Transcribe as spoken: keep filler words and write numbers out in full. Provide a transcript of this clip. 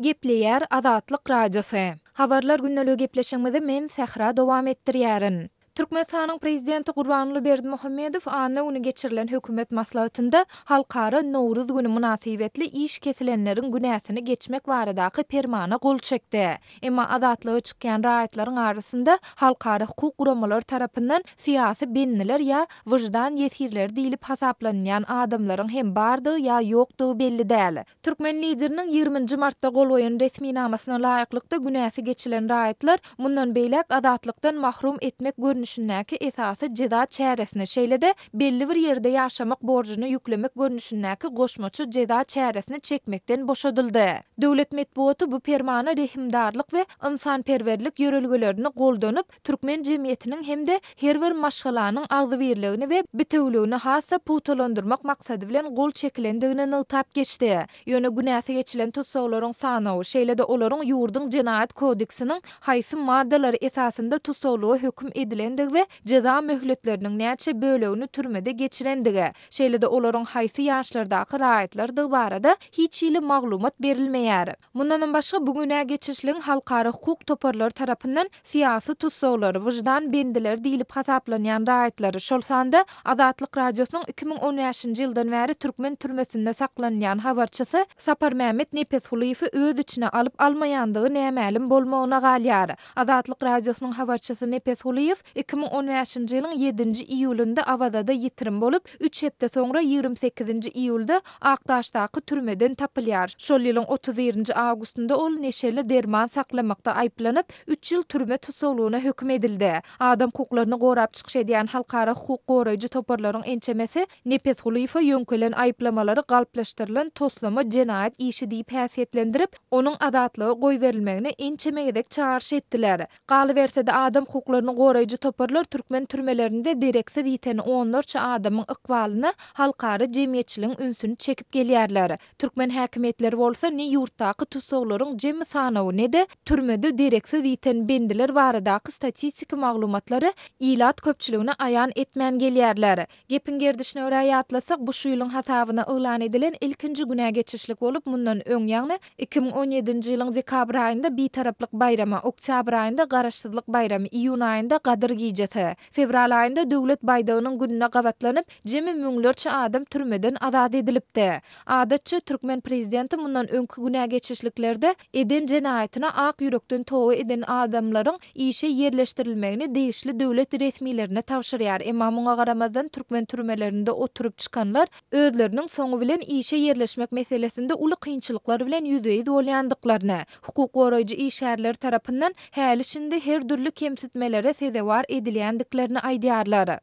Gepleýär Azatlyk Radiosy. Habarlar gündeligi gepleşigimizi men Sähra dowam etdirýärin. Türkmenistanyň Prezidenti Gurbanguly Berdimuhamedow anna güni geçirilen hökümet maslahatynda Halkara Nowruz güni mynasybetli iş kesilenleriň günäsini geçmek baradaky permana gol çekdi. Emma azatlyga çykýan raýatlaryň arasynda halkara hukuk guramalary tarapyndan syýasy bendiler ýa wyždan ýesirleri diýlip hasaplanylýan adamlaryň hem bardygy ýa ýokdugy belli däl. Türkmen Lideriniň ýigrimi nji martda gol goýan resminamasyna laýyklykda günäsi geçilen raýatlar mundan beýläk azatlykdan mahrum etmek görnüşindäki esasy jeza çäresini, şeýle-de belli bir ýerde ýaşamak borjuny ýüklemek görnüşindäki goşmaça jeza çäresini çekmekden boşadyldy. Döwlet metbugaty bu permana rehimdarlyk we ynsanperwerlik ýörelgelerini goldanyp, türkmen jemgyýetiniň hem-de her bir maşgalanyň agzybirligini we bitewüligini has-da pugtalandyrmak maksady bilen gol çekilendigini nygtap geçdi. Ýöne günäsi geçilen tussaglaryň sanawy, şeýle-de olaryň ýurduň Jenaýat kodeksiniň haýsy maddalary esasynda tussaglyga höküm edilendigi we jeza möhletleriniň näçe bölegini türmede geçirendigi, şeýle-de olaryň haýsy ýaşlardaky raýatlardygy barada hiç hili maglumat berilmeýär. Mundanam başga, bu günä geçişligiň halkara hukuk toparlary tarapyndan syýasy tussaglary, wyždan bendileri diýlip hasaplanýan raýatlary, şol sanda Azatlyk Radiosynyň iki müň on bäşinji ýyldan bäri türkmen türmesinde saklanylýan habarçysy Saparmämmet Nepesgulyýewi öz içine alyp-almaýandygy nämälim bolmagyna galýar. Azatlyk Radiosynyň habarçysy Nepesgulyýew iki müň on bäşinji ýylyň ýedinji iýulynda Awazada ýitirim bolup, üç hepde soňra ýigrimi sekizinji iýulda Akdaşdaky türmeden tapylýar. Şol ýylyň otuz birinji awgustynda ol neşeli derman saklamakda aýyplanyp, üç ýyl türme tussaglygyna höküm edildi. Adam hukuklaryny gorap çykyş edýän halkara hukuk goraýjy toparlaryň ençemesi Nepesgulyýewe ýöňkelen aýyplamalary galplaşdyrylan toslama jenaýat işi diýip häsiýetlendirip, onuň azatlyga goýberilmegine ençeme gezek çagyryş etdiler. Galyberse-de, adam hukuklaryny goraýjy toparlar türkmen türmelerinde dereksiz ýiten onlarça adamyň ykbalyna halkara jemgyýetçiligiň ünsüni çekip gelýärler. Türkmen häkimiýetleri bolsa ne ýurtdaky tussaglaryň jemi sanawy, ne-de türmede dereksiz ýiten bendiler baradaky statistiki maglumatlary ilat köpçüligine aýan etmän gelýärler. Gepiň gerdişine görä ýatlasak, bu şu ýylyň hasabyna yglan edilen ilkinji günä geçişlik bolup, mundan öň, ýagny iki müň on ýedinji ýylyň dekabr aýynda Bitaraplyk baýramy, oktýabr aýynda Garaşsyzlyk baýramy, iýun aýynda Gadyr gijesi, fewral aýynda Döwlet baýdagynyň gününe gabatlanyp, jemi müňlerçe adam türmeden azat edilipdi. Adatça, türkmen prezidenti mundan öňki günä geçişliklerde eden jenaýatyna ak ýürekden toba eden adamlaryň işe ýerleşdirilmegini degişli döwlet resmilerine tabşyrýar. Emma muňa garamazdan türkmen türmelerinde oturyp çykanlar özleriniň soňy bilen işe ýerleşmek meselesinde uly kynçylyklar bilen ýüzbe-ýüz bolýandyklaryny, hukuk goraýjy işgärler tarapyndan häli-şindi her dürli kemsitmelere sezewar edilýändiklerini aýdýarlar.